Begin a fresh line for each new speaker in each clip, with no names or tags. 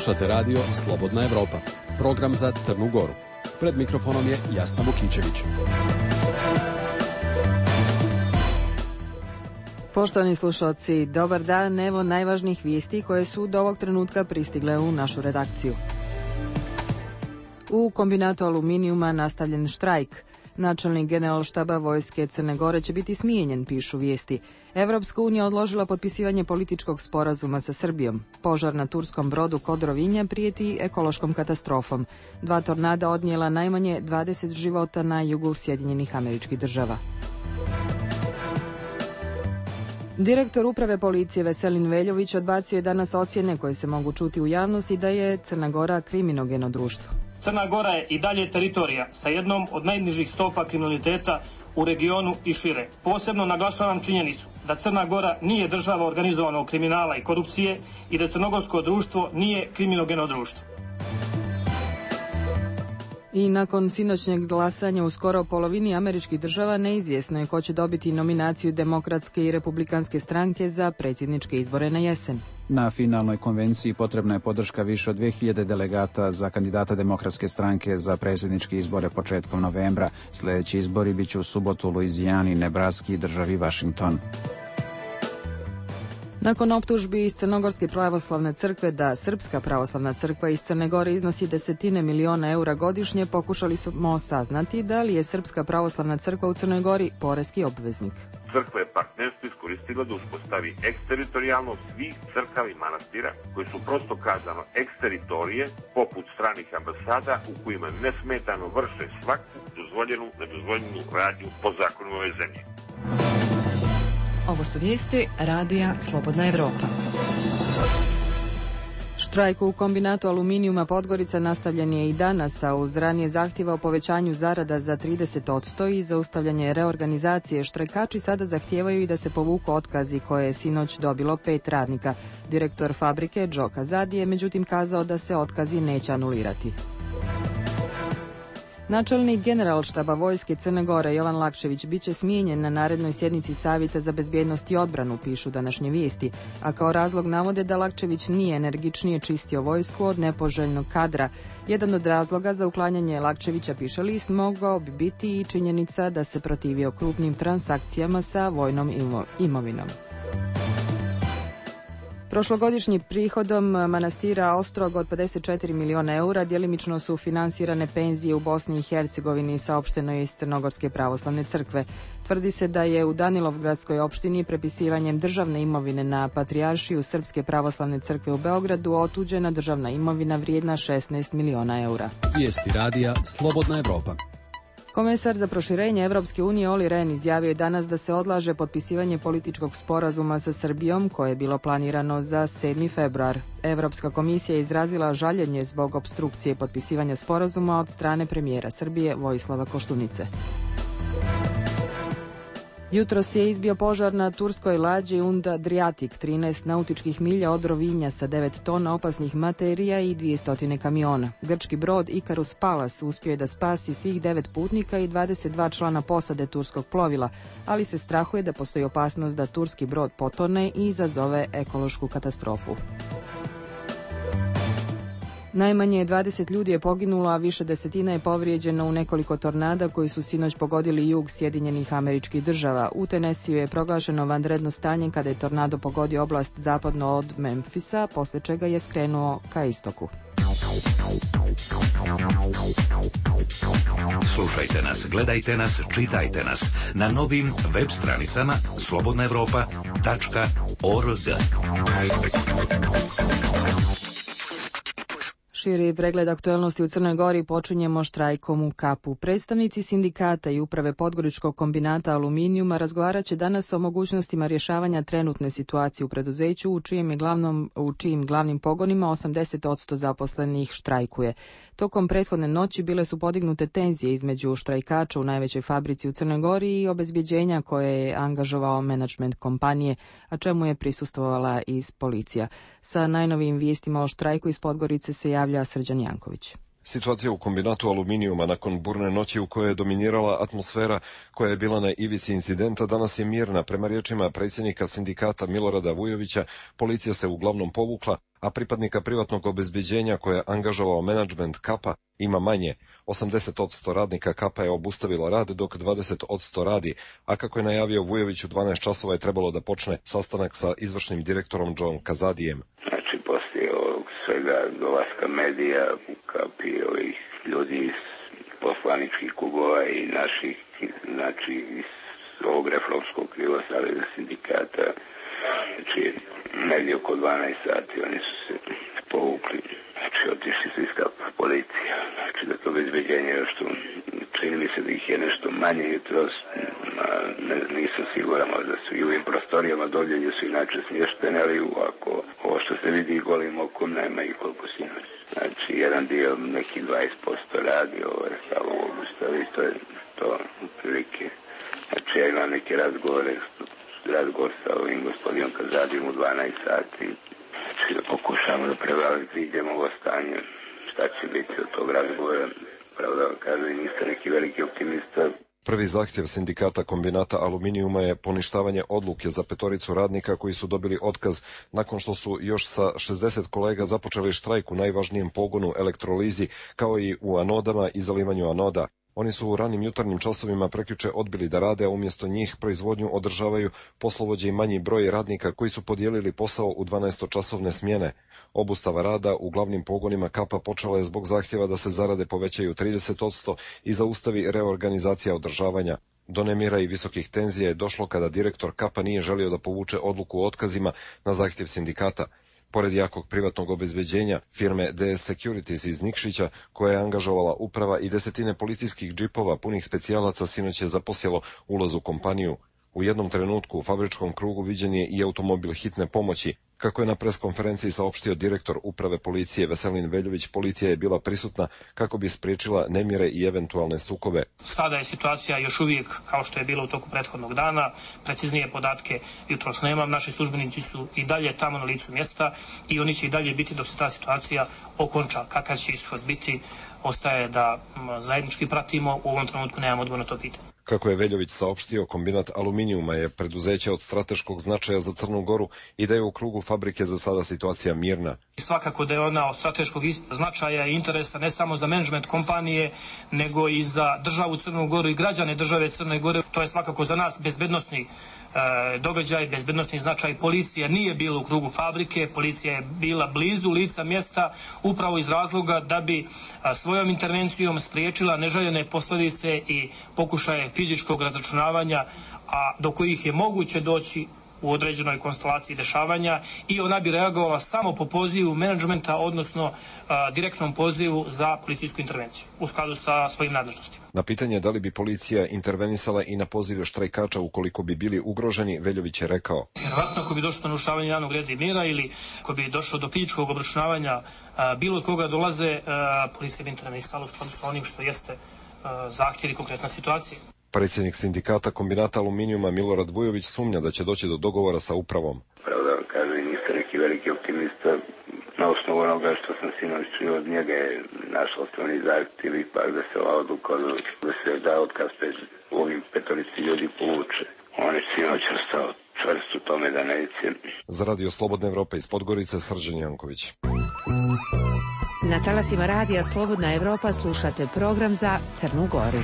Slušate radio Slobodna Evropa, program za Crnu Goru. Pred mikrofonom je Jasna Vukičević.
Poštovani slušalci, dobar dan, evo najvažnijih vijesti koje su do ovog trenutka pristigle u našu redakciju. U kombinatu aluminijuma nastavljen štrajk. Načelnik generalštaba vojske Crne Gore će biti smijenjen, pišu vijesti. Evropska unija odložila potpisivanje političkog sporazuma sa Srbijom. Požar na turskom brodu kod Rovinja prijeti ekološkom katastrofom. 2 tornada odnijela najmanje 20 života na jugu Sjedinjenih Američkih Država. Direktor uprave policije Veselin Veljović odbacio je danas ocjene koje se mogu čuti u javnosti da je Crna Gora kriminogeno društvo.
Crna Gora je i dalje teritorija sa jednom od najnižih stopa kriminaliteta u regionu i šire. Posebno naglašavam činjenicu da Crna Gora nije država organizovanog kriminala i korupcije i da crnogorsko društvo nije kriminogeno društvo.
I nakon sinoćnjeg glasanja u skoro polovini američkih država neizvjesno je ko će dobiti nominaciju Demokratske i Republikanske stranke za predsjedničke izbore na jesen.
Na finalnoj konvenciji potrebna je podrška više od 2000 delegata za kandidata Demokratske stranke za predsjedničke izbore početkom novembra. Sljedeći izbori biće u subotu u Luizijani, Nebraski i državi Washington.
Nakon optužbi iz Crnogorske pravoslavne crkve da Srpska pravoslavna crkva iz Crne Gore iznosi desetine miliona eura godišnje, pokušali smo saznati da li je Srpska pravoslavna crkva u Crnoj Gori poreski obveznik.
Crkva je partnerstvo iskoristila da uspostavi eksteritorijalnost svih crkava i manastira koji su prosto kazano eksteritorije poput stranih ambasada u kojima nesmetano vrše svaku dozvoljenu, nedozvoljenu radnju po zakonima ove zemlje.
Ovo su vijesti radija Slobodna Evropa.
Štrajk u kombinatu aluminijuma Podgorica nastavljen je i danas, a uz ranije zahtjeva o povećanju zarada za 30% i zaustavljanje reorganizacije, štrajkači sada zahtijevaju i da se povuku otkazi koje je sinoć dobilo 5 radnika. Direktor fabrike Džo Kazadi je međutim kazao da se otkazi neće anulirati. Načelnik generalštaba vojske Crne Gore Jovan Lakčević biće smijenjen na narednoj sjednici Savjeta za bezbjednost i odbranu, pišu današnje vijesti, a kao razlog navode da Lakčević nije energičnije čistio vojsku od nepoželjnog kadra. Jedan od razloga za uklanjanje Lakčevića, piše list, mogao bi biti i činjenica da se protivio krupnim transakcijama sa vojnom imovinom. Prošlogodišnji prihodom manastira Ostrog od 54 miliona eura djelimično su finansirane penzije u Bosni i Hercegovini, saopšteno je iz Crnogorske pravoslavne crkve. Tvrdi se da je u Danilovgradskoj opštini prepisivanjem državne imovine na Patrijaršiju Srpske pravoslavne crkve u Beogradu otuđena državna imovina vrijedna 16 miliona eura.
Vijesti radija Slobodna Evropa.
Komesar za proširenje Evropske unije Olli Rehn izjavio je danas da se odlaže potpisivanje političkog sporazuma sa Srbijom koje je bilo planirano za 7. februar. Evropska komisija je izrazila žaljenje zbog opstrukcije potpisivanja sporazuma od strane premijera Srbije Vojislava Koštunice. Jutros je izbio požar na turskoj lađi Und Adriatic, 13 nautičkih milja od Rovinja sa 9 tona opasnih materija i 200 kamiona. Grčki brod Icarus Pallas uspio je da spasi svih 9 putnika i 22 člana posade turskog plovila, ali se strahuje da postoji opasnost da turski brod potone i izazove ekološku katastrofu. Najmanje 20 ljudi je poginulo, a više desetina je povrijeđeno u nekoliko tornada koji su sinoć pogodili jug Sjedinjenih Američkih Država. U Tennesseeu je proglašeno vanredno stanje kada je tornado pogodio oblast zapadno od Memfisa, posle čega je skrenuo ka istoku.
Slušajte nas, gledajte nas, čitajte nas na novim web stranicama slobodnaevropa.org.
Širi pregled aktuelnosti u Crnoj Gori počinjemo štrajkom u Kapu. Predstavnici sindikata i uprave Podgoričkog kombinata aluminijuma razgovarat će danas o mogućnostima rješavanja trenutne situacije u preduzeću u čijim glavnim pogonima 80% zaposlenih štrajkuje. Tokom prethodne noći bile su podignute tenzije između štrajkača u najvećoj fabrici u Crnoj Gori i obezbjeđenja koje je angažovao menadžment kompanije, a čemu je prisustvovala iz policija. Sa najnovijim vijestima o štrajku iz Podgorice se javlja Srđan Janković.
Situacija u kombinatu aluminijuma nakon burne noći u kojoj je dominirala atmosfera koja je bila na ivici incidenta danas je mirna. Prema riječima predsjednika sindikata Milorada Vujovića, policija se uglavnom povukla, a pripadnika privatnog obezbeđenja koje je angažovao menadžment Kapa ima manje. 80% radnika Kapa je obustavilo rad, dok 20% radi, a kako je najavio Vujović, u 12 časova je trebalo da počne sastanak sa izvršnim direktorom John Kazadijem.
Znači, poslije ovog svega dolaska medija u Kapi, ovih ljudi iz poslaničkih klubova i naših, znači iz ovog reformskog krila Saveza sindikata, znači negdje oko 12 sati oni su se povukli, znači otišli su iz Kapa policija, znači da to obezbeđenje još tu, čini mi se da ih je nešto manje jutros, nisam siguran, možda su i u ovim prostorijama dolje gdje su inače smještene, ali ovako, ovo što se vidi golim okom nema i koliko sinoć. Znači jedan dio, neki 20% radi, ovo je samo obustavi, to je to prilike. Znači ja imam neke razgovor sa ovim gospodinom Kazadijem u 12 sati, znači da pokušamo da prevaziđemo ovo stanje, šta će biti od tog razgovora, pravo da vam kažem, niste neki veliki optimista.
Prvi zahtjev sindikata kombinata aluminijuma je poništavanje odluke za 5 radnika koji su dobili otkaz nakon što su još sa 60 kolega započeli štrajk u najvažnijem pogonu elektrolizi, kao i u anodama i zalivanju anoda. Oni su u ranim jutarnjim časovima prekjuče odbili da rade, a umjesto njih proizvodnju održavaju poslovođe i manji broj radnika koji su podijelili posao u 12-časovne smjene. Obustava rada u glavnim pogonima Kapa počela je zbog zahtjeva da se zarade povećaju 30% i zaustavi reorganizacija održavanja. Do nemira i visokih tenzija je došlo kada direktor Kapa nije želio da povuče odluku o otkazima na zahtjev sindikata. Pored jakog privatnog obezbeđenja firme DS Securities iz Nikšića, koja je angažovala uprava i desetine policijskih džipova punih specijalaca, sinoć je zaposjelo ulaz u kompaniju. U jednom trenutku u fabričkom krugu viđen je i automobil hitne pomoći. Kako je na preskonferenciji saopštio direktor uprave policije Veselin Veljović, policija je bila prisutna kako bi spriječila nemire i eventualne sukobe.
Sada je situacija još uvijek kao što je bilo u toku prethodnog dana. Preciznije podatke jutros nemam. Naši službenici su i dalje tamo na licu mjesta i oni će i dalje biti dok se ta situacija okonča. Kakav će ishod biti, ostaje da zajednički pratimo. U ovom trenutku nemam odgovor na to pitanje.
Kako je Veljović saopštio, kombinat aluminijuma je preduzeće od strateškog značaja za Crnu Goru i da je u krugu fabrike za sada situacija mirna.
Svakako da je ona od strateškog značaja i interesa ne samo za menadžment kompanije, nego i za državu Crnu Goru i građane države Crne Gore. To je svakako za nas bezbednosni događaj, bezbednosni značaj. Policija nije bila u krugu fabrike, policija je bila blizu lica mjesta upravo iz razloga da bi svojom intervencijom spriječila neželjene posljedice i pokušaje fizičkog razračunavanja, a do kojih je moguće doći u određenoj konstelaciji dešavanja, i ona bi reagovala samo po pozivu menadžmenta, odnosno direktnom pozivu za policijsku intervenciju u skladu sa svojim nadležnostima.
Na pitanje da li bi policija intervenisala i na pozive štrajkača ukoliko bi bili ugroženi, Veljović je rekao:
vjerovatno ako bi došlo do narušavanja javnog reda i mira ili ako bi došlo do fizičkog obračunavanja bilo od koga dolaze, policija bi intervenisala u skladu sa onim što jeste zahtjev i konkretna situacija.
Predsjednik sindikata kombinata aluminijuma Milorad Vujović sumnja da će doći do dogovora sa upravom.
Pravo da vam kažem, niste neki veliki optimista. Na osnovu onoga što sam sinoć čuo od njega je naš osnovni zahtjev ipak da se ova odluka, da se da otkaz ovim 5 ljudi povuče. On je sinoć ostao čvrst u tome da neće.
Za Radio Slobodna Evropa iz Podgorice, Srđan Janković.
Na talasima Radija Slobodna Evropa slušate program za Crnu Goru.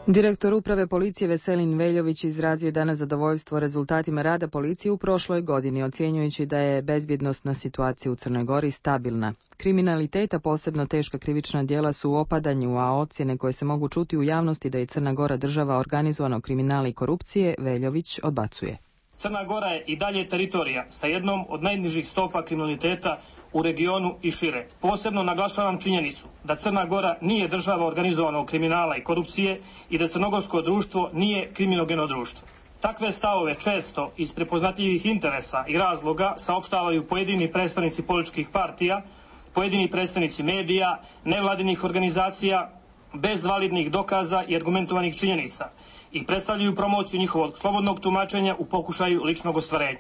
Direktor uprave policije Veselin Veljović izrazio danas zadovoljstvo rezultatima rada policije u prošloj godini, ocjenjujući da je bezbjednosna situacija u Crnoj Gori stabilna. Kriminaliteta, posebno teška krivična djela, su u opadanju, a ocjene koje se mogu čuti u javnosti da je Crna Gora država organizovanog kriminala i korupcije, Veljović odbacuje.
Crna Gora je i dalje teritorija sa jednom od najnižih stopa kriminaliteta u regionu i šire. Posebno naglašavam činjenicu da Crna Gora nije država organizovanog kriminala i korupcije i da crnogorsko društvo nije kriminogeno društvo. Takve stavove često iz prepoznatljivih interesa i razloga saopštavaju pojedini predstavnici političkih partija, pojedini predstavnici medija, nevladinih organizacija, bez validnih dokaza i argumentovanih činjenica, i predstavljaju promociju njihovog slobodnog tumačenja u pokušaju ličnog ostvarenja.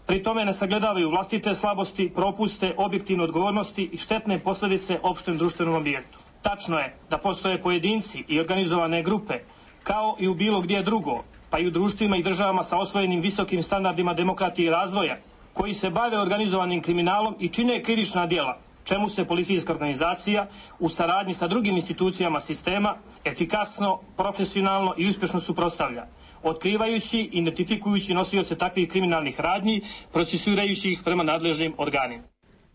Pri tome ne sagledavaju vlastite slabosti, propuste, objektivne odgovornosti i štetne posljedice opštem društvenom objektu. Tačno je da postoje pojedinci i organizovane grupe, kao i u bilo gdje drugo, pa i u društvima i državama sa osvojenim visokim standardima demokratije i razvoja, koji se bave organizovanim kriminalom i čine krivična djela, čemu se policijska organizacija u saradnji sa drugim institucijama sistema efikasno, profesionalno i uspješno suprotstavlja, otkrivajući i identifikujući nosioce takvih kriminalnih radnji, procesuirajući ih prema nadležnim organima.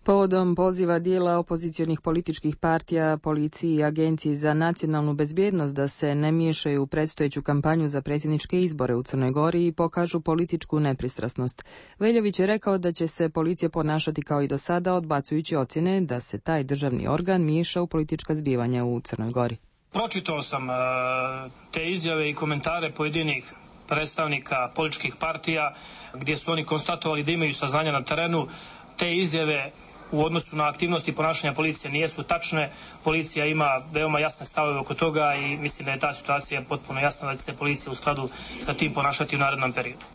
Povodom poziva dijela opozicionih političkih partija, policiji i Agenciji za nacionalnu bezbjednost da se ne miješaju u predstojeću kampanju za predsjedničke izbore u Crnoj Gori i pokažu političku nepristrasnost. Veljović je rekao da će se policija ponašati kao i do sada, odbacujući ocjene da se taj državni organ miješa u politička zbivanja u Crnoj Gori.
Pročitao sam te izjave i komentare pojedinih predstavnika političkih partija gdje su oni konstatovali da imaju saznanja na terenu. Te izjave u odnosu na aktivnosti ponašanja policije nisu tačne. Policija ima veoma jasne stavove oko toga i mislim da je ta situacija potpuno jasna da će se policija u skladu sa tim ponašati u narednom periodu.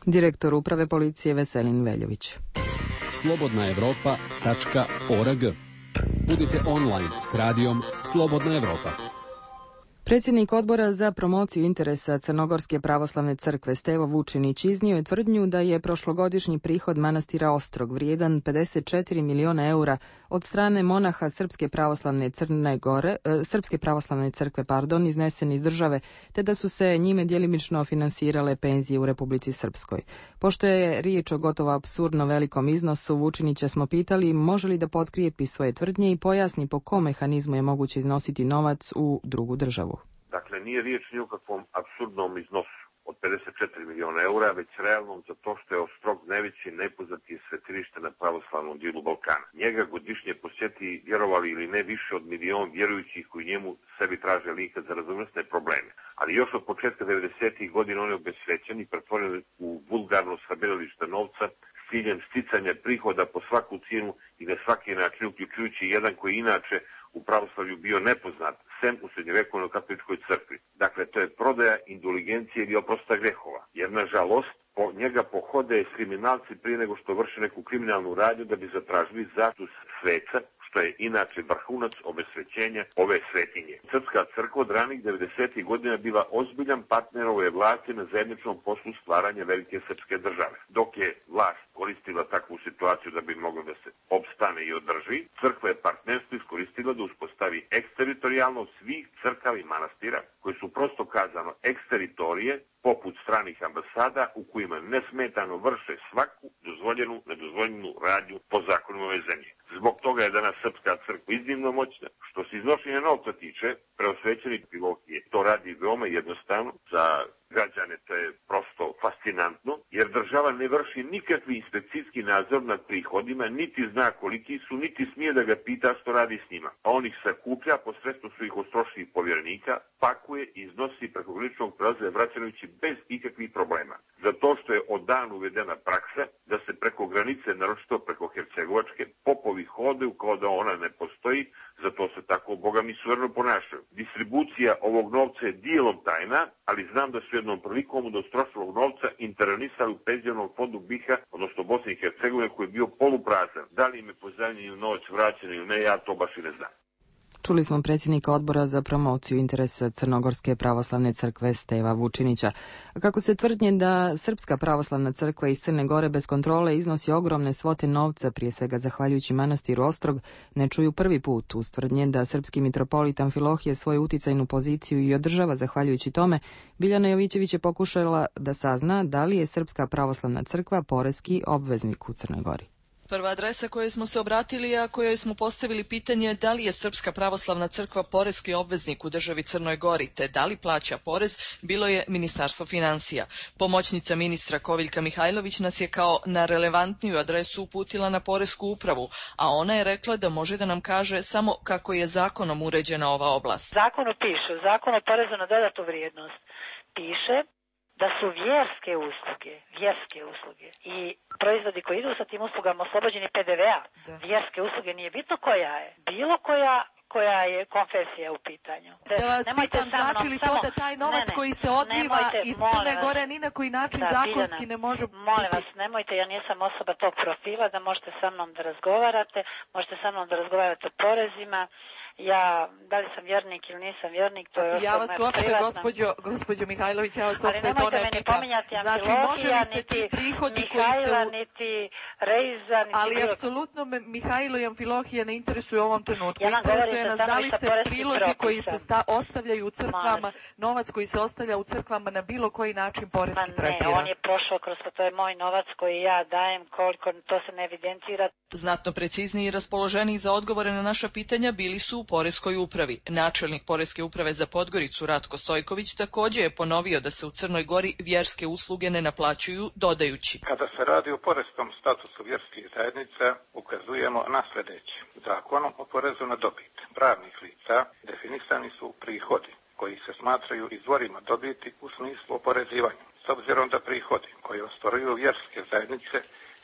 Direktor uprave policije Veselin Veljović.
slobodnaevropa.org. Budite online s radijom Slobodna Evropa.
Predsjednik odbora za promociju interesa Crnogorske pravoslavne crkve Stevo Vučinić iznio je tvrdnju da je prošlogodišnji prihod manastira Ostrog vrijedan 54 miliona eura od strane monaha Srpske pravoslavne crkve iznesen iz države, te da su se njime djelimično finansirale penzije u Republici Srpskoj. Pošto je riječ o gotovo apsurdno velikom iznosu, Vučinića smo pitali može li da potkrijepi svoje tvrdnje i pojasni po kom mehanizmu je moguće iznositi novac u drugu državu.
Dakle, nije riječ ni o kakvom apsurdnom iznosu od 54 miliona eura, već realnom zato što je Ostrog najveći najpoznatiji svetilište na pravoslavnom dijelu Balkana. Njega godišnje posjeti, vjerovali ili ne, više od milion vjerujućih koji njemu sebi traže linka za razumnosne probleme. Ali još od početka 90. godina on je obesvećen i pretvoren u vulgarno sabiralište novca s ciljem sticanja prihoda po svaku cijenu i na svaki način, uključujući jedan koji inače u pravoslavlju bio nepoznat, sem u srednjovjekovnoj katoličkoj crkvi. Dakle, to je prodaja indulgencije ili oprosta grehova. Jer, nažalost, po njega pohode kriminalci prije nego što vrše neku kriminalnu radnju da bi zatražili status sveca, što je inače vrhunac obesvećenja ove svetinje. Srpska crkva od ranih 90. godina bila ozbiljan partner ove vlasti na zajedničnom poslu stvaranja velike srpske države. Dok je vlast koristila takvu situaciju da bi mogla da se opstane i održi, crkva je partnerstvo iskoristila da uspostavi eksteritorijalnost svih crkava i manastira, koji su prosto kazano eksteritorije, poput stranih ambasada u kojima nesmetano vrše svaku dozvoljenu, nedozvoljenu radnju po zakonima ove zemlje. Zbog toga je danas Srpska crkva iznimno moćna. Što se iznošenja novca tiče, preosvećeni Pilokije to radi veoma jednostavno. Za građane to je prosto fascinantno, jer država ne vrši nikakvi inspekcijski nadzor nad prihodima, niti zna koliki su, niti smije da ga pita što radi s njima. A on ih sakuplja posredstvom svojih ostrošnih povjerenika, pakuje i iznosi preko graničnog prelaza vraćajući bez ikakvih problema. Zato što je od dana uvedena praksa da se preko granice, naročito preko Hercegovačke, popovi hodaju kao da ona ne postoji, zato se tako bogami suvereno ponašaju. Distribucija ovog novca je dijelom tajna, ali znam da su jednom prilikom od ostrošnog novca intervenisali u penzionom fondu BiH, odnosno Bosne i Hercegovine, koji je bio poluprazan. Da li im je pozajmljen novac vraćen ili ne, ja to baš i ne znam.
Čuli smo predsjednika odbora za promociju interesa Crnogorske pravoslavne crkve Steva Vučinića. Kako se tvrdnje da Srpska pravoslavna crkva iz Crne Gore bez kontrole iznosi ogromne svote novca, prije svega zahvaljujući manastiru Ostrog, ne čuju prvi put. Uz tvrdnje da srpski mitropolit Amfilohije svoju uticajnu poziciju i održava zahvaljujući tome, Biljana Jovićević je pokušala da sazna da li je Srpska pravoslavna crkva poreski obveznik u Crnoj Gori.
Prva adresa kojoj smo se obratili, a kojoj smo postavili pitanje da li je Srpska pravoslavna crkva poreski obveznik u državi Crnoj Gori, te da li plaća porez, bilo je Ministarstvo financija. Pomoćnica ministra Koviljka Mihajlović nas je kao na relevantniju adresu uputila na Poresku upravu, a ona je rekla da može da nam kaže samo kako je zakonom uređena ova oblast.
Zakonu piše, u Zakonu o porezu na dodatu vrijednost piše da su vjerske usluge i proizvodi koji idu sa tim uslugama oslobođeni PDV-a. Vjerske usluge, nije bitno koja je, bilo koja koja je konfesija u pitanju.
Da vas pitam, znači li to da taj novac koji se odliva iz Crne Gore ni na koji način zakonski ne može biti?
Molim vas, nemojte, ja nisam osoba tog profila da možete sa mnom da razgovarate, možete sa mnom da razgovarate o porezima. Ja, da li sam vjernik ili nisam vjernik, to je
ja vas uopšte, gospođo Mihajlović, ja vas uopšte to ne pitam. Znači, može li se ti prihodi
Mihajla, niti Reiza, niti...
Ali apsolutno me Mihajlo i Amfilohije ne interesuje u ovom trenutku. Interesuje nas da li se prilozi koji se ostavljaju u crkvama, novac koji se ostavlja u crkvama na bilo koji način poreski tretira.
Ne, on je prošao kroz to, je moj novac koji ja dajem, koliko to se ne evidentira.
Znatno precizniji i raspoloženiji za odgovore na naša pitanja bili su u Poreskoj upravi. Načelnik Poreske uprave za Podgoricu Ratko Stojković također je ponovio da se u Crnoj Gori vjerske usluge ne naplaćuju, dodajući:
Kada se radi o poreskom statusu vjerskih zajednica, ukazujemo na sljedeće. Zakonom o porezu na dobit pravnih lica definisani su prihodi koji se smatraju izvorima dobiti u smislu oporezivanja. S obzirom da prihodi koji ostvaruju vjerske zajednice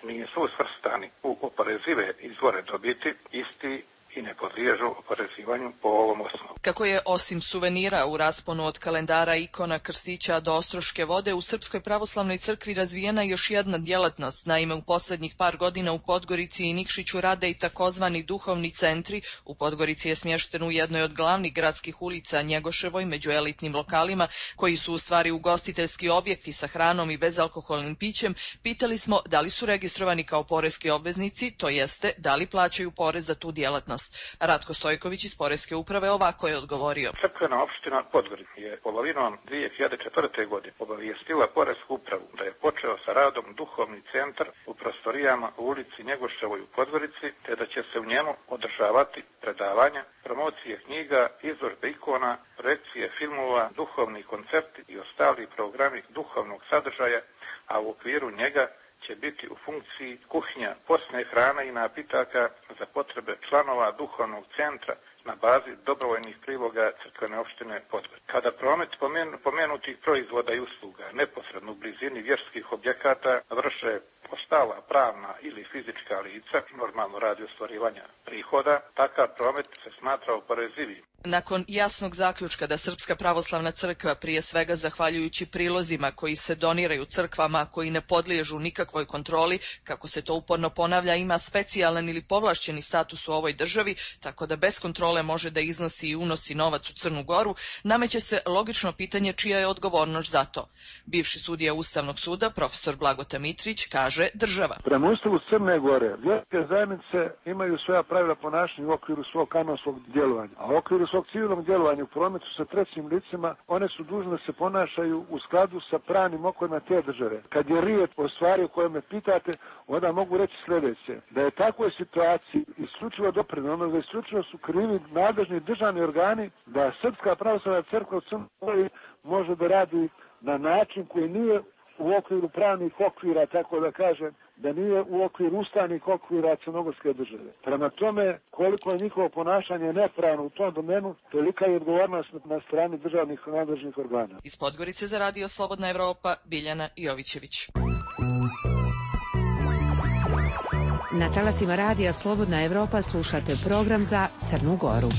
nisu svrstani u oporezive izvore dobiti, isti i ne podliježu oporezivanju po ovom osnovu.
Kako je osim suvenira u rasponu od kalendara, ikona, krstića do ostroške vode u Srpskoj pravoslavnoj crkvi razvijena još jedna djelatnost. Naime, u posljednjih par godina u Podgorici i Nikšiću rade i takozvani duhovni centri. U Podgorici je smješten u jednoj od glavnih gradskih ulica Njegoševoj među elitnim lokalima, koji su u stvari ugostiteljski objekti sa hranom i bezalkoholnim pićem. Pitali smo da li su registrovani kao poreski obveznici, to jeste da li plaćaju porez za tu djelatnost. Ratko Stojković iz Poreske uprave ovako je odgovorio.
Crkvena opština Podgorica je polovinom 2004. godine obavijestila Poresku upravu da je počeo sa radom duhovni centar u prostorijama u ulici Njegoševoj u Podgorici, te da će se u njemu održavati predavanja, promocije knjiga, izložbe ikona, projekcije filmova, duhovni koncerti i ostali programi duhovnog sadržaja, a u okviru njega će biti u funkciji kuhinja posne hrane i napitaka za potrebe članova duhovnog centra na bazi dobrovoljnih priloga crkvene opštine Podgorica. Kada promet pomenutih proizvoda i usluga neposredno u blizini vjerskih objekata vrše ostala pravna ili fizička lica, normalno radi ostvarivanja prihoda, takav promet se smatra oporezivim.
Nakon jasnog zaključka da Srpska pravoslavna crkva, prije svega zahvaljujući prilozima koji se doniraju crkvama koji ne podliježu nikakvoj kontroli, kako se to uporno ponavlja, ima specijalan ili povlašćeni status u ovoj državi, tako da bez kontrole može da iznosi i unosi novac u Crnu Goru, nameće se logično pitanje čija je odgovornost za to. Bivši sudija Ustavnog suda, profesor Blagota Mitrić, kaže država.
Prema Ustavu Crne Gore, vjerske zajednice imaju svoja pravila ponašanja u okviru svog kanonskog djelovanja, a u okviru svog civilnog djelovanja u prometu sa trećim licima, one su dužne da se ponašaju u skladu sa pravnim okovima te države. Kad je riječ o stvari o kojoj me pitate, onda mogu reći sljedeće, da je takvoj situaciji isključivo doprinijelo, da isključivo su krivi nadležni državni organi, da Srpska pravoslavna crkva u Crnoj Gori može da radi na način koji nije u okviru pravnih okvira, tako da kažem, da nije u okviru ustavnih okvira crnogorske države. Prema tome, koliko je njihovo ponašanje nepravno u tom domenu, tolika je odgovornost na strani državnih nadležnih organa.
Iz Podgorice za Radio Slobodna Evropa, Biljana Jovićević.
Na talasima Radija Slobodna Evropa slušate program za Crnu Goru.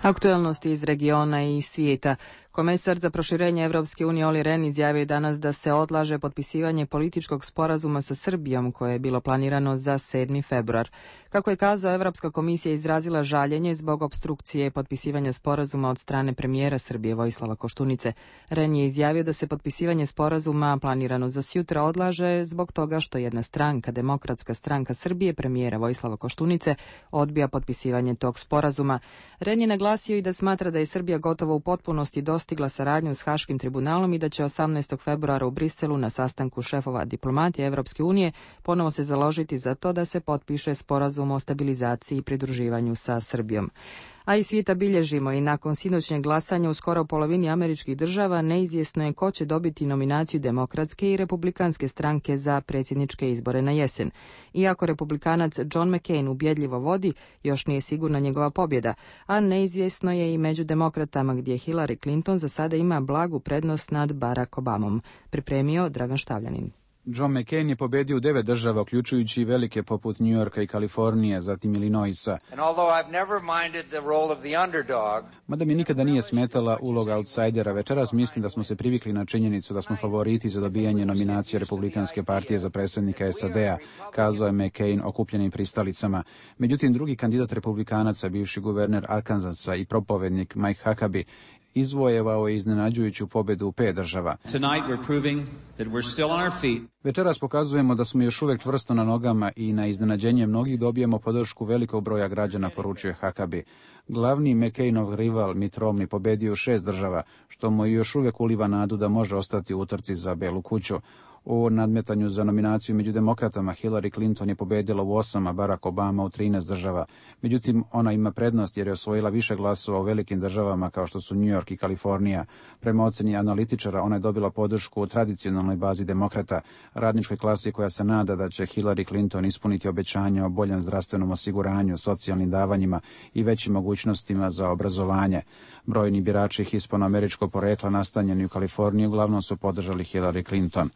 Aktualnosti iz regiona i svijeta. Komesar za proširenje Evropske unije Olli Rehn izjavio je danas da se odlaže potpisivanje političkog sporazuma sa Srbijom koje je bilo planirano za 7. februar. Kako je kazao, Evropska komisija izrazila žaljenje zbog opstrukcije potpisivanja sporazuma od strane premijera Srbije Vojislava Koštunice. Rehn je izjavio da se potpisivanje sporazuma planirano za sutra odlaže zbog toga što jedna stranka, Demokratska stranka Srbije premijera Vojislava Koštunice, odbija potpisivanje tog sporazuma. Rehn je naglasio i da smatra da je Srbija gotovo u potpunosti dostigla saradnju s Haškim tribunalom i da će 18. februara u Briselu na sastanku šefova diplomatije Evropske unije ponovo se založiti za to da se potpiše sporazum o stabilizaciji i pridruživanju sa Srbijom. A i svijeta bilježimo i nakon sinoćnjeg glasanja u skoro polovini američkih država neizvjesno je ko će dobiti nominaciju demokratske i republikanske stranke za predsjedničke izbore na jesen. Iako republikanac John McCain ubjedljivo vodi, još nije sigurna njegova pobjeda, a neizvjesno je i među demokratama gdje Hillary Clinton za sada ima blagu prednost nad Barack Obamom. Pripremio Dragan Štavljanin.
John McCain je pobedio u 9 država, uključujući i velike poput New Yorka i Kalifornije, zatim Illinoisa. Mada mi nikada nije smetala uloga outsidera, večeras mislim da smo se privikli na činjenicu da smo favoriti za dobijanje nominacije Republikanske partije za predsjednika SAD-a, kazao je McCain okupljenim pristalicama. Međutim, drugi kandidat republikanaca, bivši guverner Arkansasa i propovednik Mike Huckabee, izvojevao je iznenađujuću pobjedu u 5 država. Večeras pokazujemo da smo još uvijek čvrsto na nogama i na iznenađenje mnogih dobijemo podršku velikog broja građana, poručuje Huckabee. Glavni McCainov rival Mitt Romney pobjedio u 6 država, što mu još uvijek uliva nadu da može ostati u utrci za Belu kuću. U nadmetanju za nominaciju među demokratama Hillary Clinton je pobedila u 8, a Barack Obama u 13 država. Međutim, ona ima prednost jer je osvojila više glasova u velikim državama kao što su New York i Kalifornija. Prema oceni analitičara, ona je dobila podršku u tradicionalnoj bazi demokrata, radničkoj klasi koja se nada da će Hillary Clinton ispuniti obećanja o boljem zdravstvenom osiguranju, socijalnim davanjima i većim mogućnostima za obrazovanje. Brojni birači hispanoameričkog porekla nastanjeni u Kaliforniji uglavnom su podržali Hillary Clinton.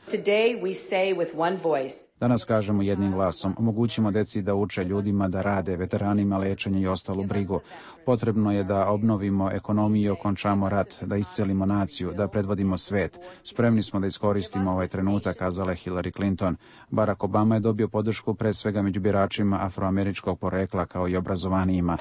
Danas kažemo jednim glasom, omogućimo deci da uče, ljudima da rade, veteranima lečenje i ostalu brigu. Potrebno je da obnovimo ekonomiju i okončamo rat, da iscelimo naciju, da predvodimo svet. Spremni smo da iskoristimo ovaj trenutak, kazala je Hillary Clinton. Barack Obama je dobio podršku pre svega među biračima afroameričkog porekla kao i obrazovanijima.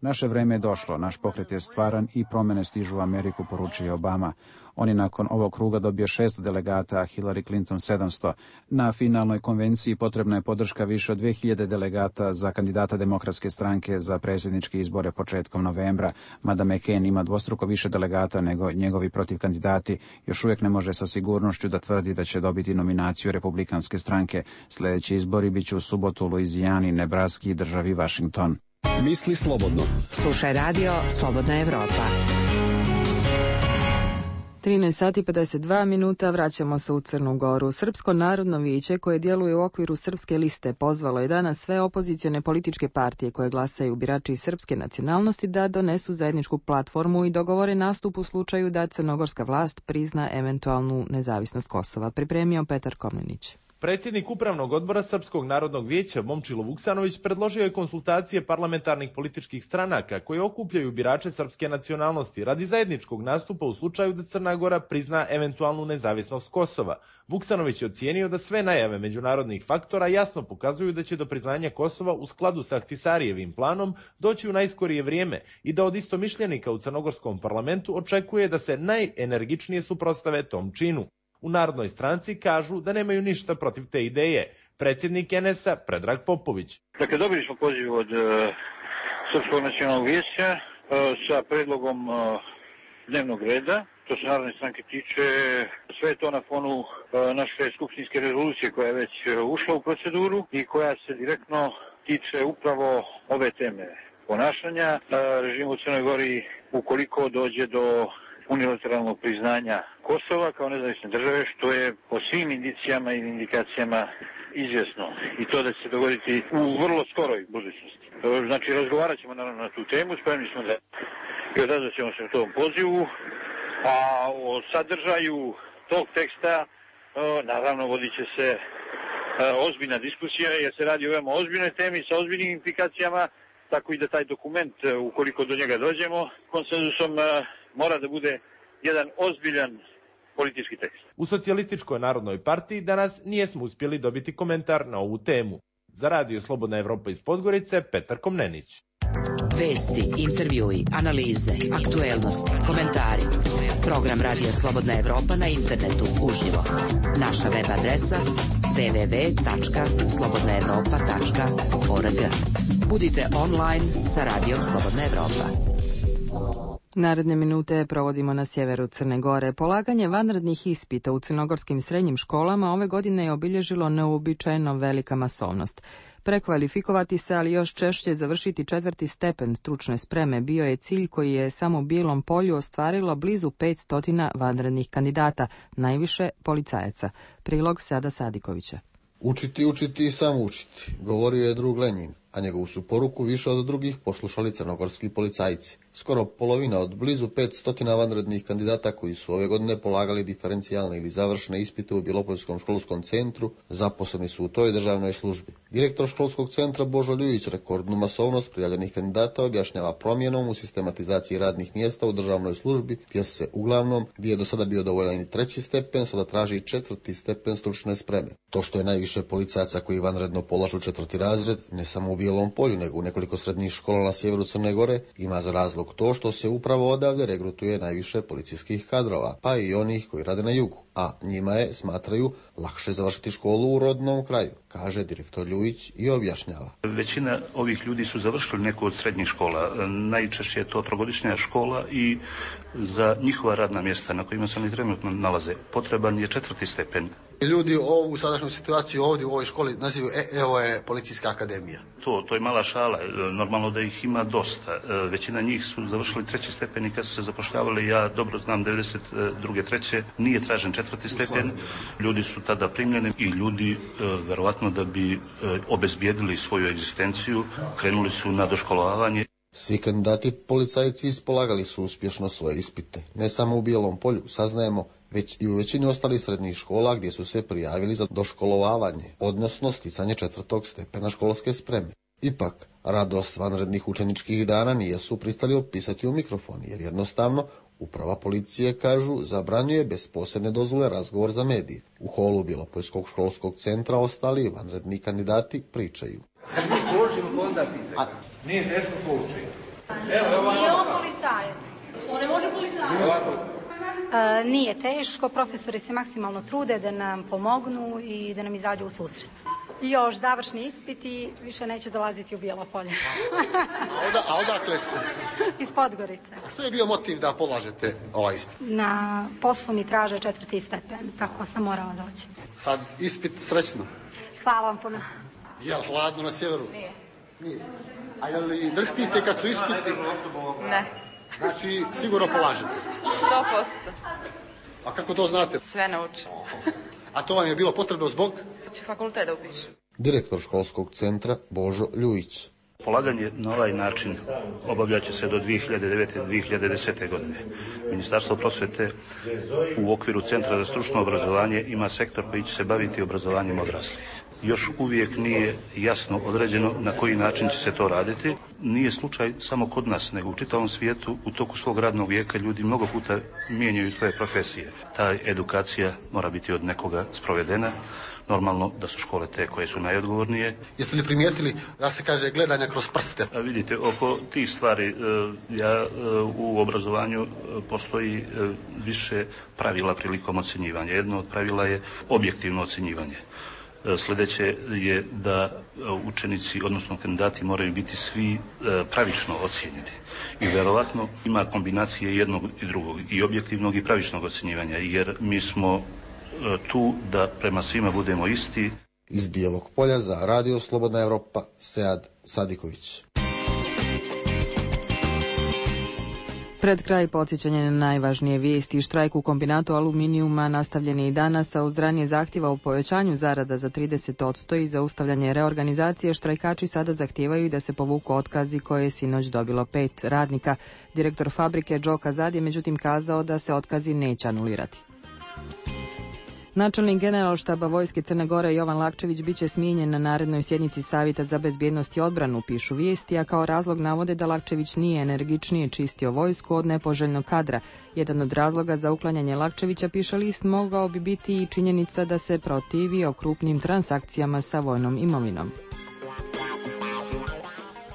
Naše vreme je došlo, naš pokret je stvaran i promjene stižu u Ameriku, poručuje Obama. On je nakon ovog kruga dobio 600 delegata, a Hillary Clinton 700. Na finalnoj konvenciji potrebna je podrška više od 2000 delegata za kandidata demokratske stranke za predsjedničke izbore početkom novembra. Mada McCain ima dvostruko više delegata nego njegovi protivkandidati, još uvijek ne može sa sigurnošću da tvrdi da će dobiti nominaciju republikanske stranke. Sljedeći izbori biće u subotu u Luizijani, Nebraski i državi Washington.
Misli slobodno.
Slušaj radio Slobodna Evropa.
13:52, vraćamo se u Crnu Goru. Srpsko narodno vijeće koje djeluje u okviru Srpske liste pozvalo je danas sve opozicione političke partije koje glasaju birači srpske nacionalnosti da donesu zajedničku platformu i dogovore nastup u slučaju da crnogorska vlast prizna eventualnu nezavisnost Kosova. Pripremio Petar Komnenić.
Predsjednik Upravnog odbora Srpskog narodnog vijeća Momčilo Vuksanović predložio je konsultacije parlamentarnih političkih stranaka koje okupljaju birače srpske nacionalnosti radi zajedničkog nastupa u slučaju da Crna Gora prizna eventualnu nezavisnost Kosova. Vuksanović je ocijenio da sve najave međunarodnih faktora jasno pokazuju da će do priznanja Kosova u skladu sa Ahtisarijevim planom doći u najskorije vrijeme i da od istomišljenika u crnogorskom parlamentu očekuje da se najenergičnije suprotstave tom činu. U Narodnoj stranci kažu da nemaju ništa protiv te ideje. Predsjednik NS-a Predrag Popović.
Dakle, dobili smo poziv od Srpskog nacionalnog vijeća sa predlogom dnevnog reda. To se Narodne stranke tiče, sve je to na fonu naše skupštinske rezolucije koja je već ušla u proceduru i koja se direktno tiče upravo ove teme ponašanja režimu u Crnoj Gori ukoliko dođe do unilateralnog priznanja Kosova kao nezavisne države, što je po svim indicijama i indikacijama izvjesno i to da će se dogoditi u vrlo skoroj budućnosti. Znači, razgovarat ćemo naravno na tu temu, spremni smo da i odazvat ćemo se u tom pozivu, a o sadržaju tog teksta naravno vodit će se ozbiljna diskusija jer se radi o veoma ozbiljnoj temi sa ozbiljnim implikacijama, tako i da taj dokument, ukoliko do njega dođemo, konsenzusom mora da bude jedan ozbiljan politički tekst.
U Socijalističkoj narodnoj partiji danas nijesmo uspjeli dobiti komentar na ovu temu. Za Radio Slobodna Evropa iz Podgorice, Petar Komnenić.
Vesti, intervjui, analize, aktuelnosti, komentari. Program Radija Slobodna Evropa na internetu uživo. Naša web adresa www.slobodnaevropa.org. Budite online sa Radijom Slobodna Evropa.
Naredne minute provodimo na sjeveru Crne Gore. Polaganje vanrednih ispita u crnogorskim srednjim školama ove godine je obilježilo neuobičajeno velika masovnost. Prekvalifikovati se, ali još češće završiti 4. stepen stručne spreme bio je cilj koji je samo u Bijelom Polju ostvarilo blizu 500 vanrednih kandidata, najviše policajaca. Prilog Sada Sadikovića.
Učiti, učiti i samo učiti, govorio je drug Lenjin, a njegovu su poruku više od drugih poslušali crnogorski policajci. Skoro polovina od blizu 500 vanrednih kandidata koji su ove godine polagali diferencijalne ili završne ispite u Bjelopoljskom školskom centru zaposleni su u toj državnoj službi. Direktor školskog centra Božo Ljujić rekordnu masovnost prijavljenih kandidata objašnjava promjenom u sistematizaciji radnih mjesta u državnoj službi, gdje se uglavnom, gdje je do sada bio dovoljan i 3. stepen, sada traži 4. stepen stručne spreme. To što je najviše policajaca koji vanredno polažu 4. razred, ne samo u Bijelom Polju, nego u nekoliko srednjih škola na sjeveru Crne Gore, ima za razlog to što se upravo odavde regrutuje najviše policijskih kadrova, pa i onih koji rade na jugu, a njima je, smatraju, lakše završiti školu u rodnom kraju, kaže direktor Ljujić i objašnjava.
Većina ovih ljudi su završili neku od srednjih škola, najčešće je to trogodišnja škola i za njihova radna mjesta na kojima se oni trenutno nalaze potreban je 4. stepen.
Ljudi ovu sadašnju situaciju ovdje u ovoj školi nazivaju evo je policijska akademija.
To je mala šala, normalno da ih ima dosta. Većina njih su završili 3. stepen i kad su se zapošljavali, ja dobro znam 92. 3. nije tražen 4. stepen. Ljudi su tada primljeni i ljudi, verovatno da bi obezbijedili svoju egzistenciju, krenuli su na doškolovanje.
Svi kandidati policajci ispolagali su uspješno svoje ispite. Ne samo u Bijelom Polju, saznajemo, već i u većini ostalih srednjih škola gdje su se prijavili za doškolovavanje, odnosno sticanje 4. stepena školske spreme. Ipak, radost vanrednih učeničkih dana nisu pristali opisati u mikrofon, jer jednostavno uprava policije, kažu, zabranjuje bez posebne dozvole razgovor za medije. U holu Bjelopoljskog školskog centra ostali vanredni kandidati pričaju.
Kad mi poučimo, onda pitaju. Nije teško poučiti.
Nije on policajac. On ne može policajac. Nije teško, profesori se maksimalno trude da nam pomognu i da nam izađu u susret. Još završni ispit i više neće dolaziti u Bijelo Polje.
A odakle ste?
Iz Podgorice.
A što je bio motiv da polažete ovaj ispit?
Na poslu mi traže 4. stepen, tako sam morala doći.
Sad ispit srećno.
Hvala vam puno.
Je li hladno na sjeveru? Nije. A je li drhtite kad su ispiti?
Ne.
Znači, sigurno polažete?
100%.
A kako to znate?
Sve naučim.
A to vam je bilo potrebno zbog?
Će fakultet da upišem.
Direktor školskog centra Božo Ljujić.
Polaganje na ovaj način obavljaće se do 2009-2010. godine. Ministarstvo prosvete u okviru Centra za stručno obrazovanje ima sektor koji će se baviti obrazovanjem odraslih. Još uvijek nije jasno određeno na koji način će se to raditi. Nije slučaj samo kod nas, nego u čitavom svijetu u toku svog radnog vijeka ljudi mnogo puta mijenjaju svoje profesije. Ta edukacija mora biti od nekoga sprovedena. Normalno da su škole te koje su najodgovornije.
Jeste li primijetili da se kaže gledanja kroz prste?
Vidite, oko tih stvari u obrazovanju postoji više pravila prilikom ocjenjivanja. Jedno od pravila je objektivno ocjenjivanje. Sljedeće je da učenici, odnosno kandidati, moraju biti svi pravično ocjenjeni. I vjerovatno ima kombinacije jednog i drugog, i objektivnog i pravičnog ocjenjivanja, jer mi smo tu da prema svima budemo isti.
Iz Bijelog Polja za Radio Slobodna Evropa, Sead Sadiković.
Pred kraj podsjećanje na najvažnije vijesti. Štrajk u kombinatu aluminijuma nastavljen je i danas, a uz ranije zahtjeva o povećanju zarada za 30% i zaustavljanje reorganizacije, štrajkači sada zahtijevaju i da se povuku otkazi koje je sinoć dobilo 5 radnika. Direktor fabrike Džo Kazad je međutim kazao da se otkazi neće anulirati. Načelnik generalštaba vojske Crne Gore Jovan Lakčević biće smijenjen na narednoj sjednici Savjeta za bezbjednost i odbranu, pišu vijesti, a kao razlog navode da Lakčević nije energičnije čistio vojsku od nepoželjnog kadra. Jedan od razloga za uklanjanje Lakčevića, piše list, mogao bi biti i činjenica da se protivio krupnim transakcijama sa vojnom imovinom.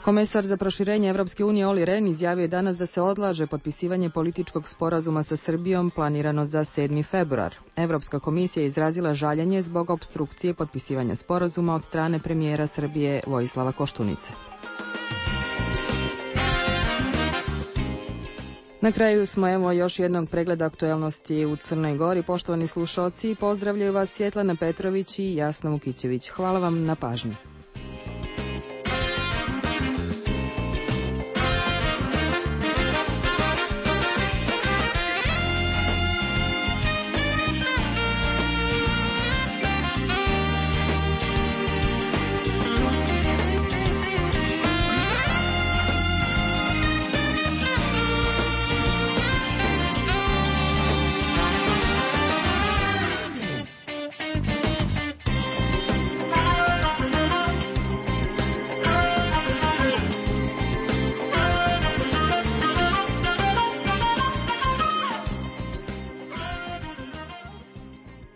Komesar za proširenje Evropske unije Olli Rehn izjavio je danas da se odlaže potpisivanje političkog sporazuma sa Srbijom planirano za 7. februar. Evropska komisija je izrazila žaljenje zbog opstrukcije potpisivanja sporazuma od strane premijera Srbije Vojislava Koštunice. Na kraju smo evo još jednog pregleda aktuelnosti u Crnoj Gori. Poštovani slušalci, pozdravljaju vas Svjetlana Petrović i Jasna Vukićević. Hvala vam na pažnji.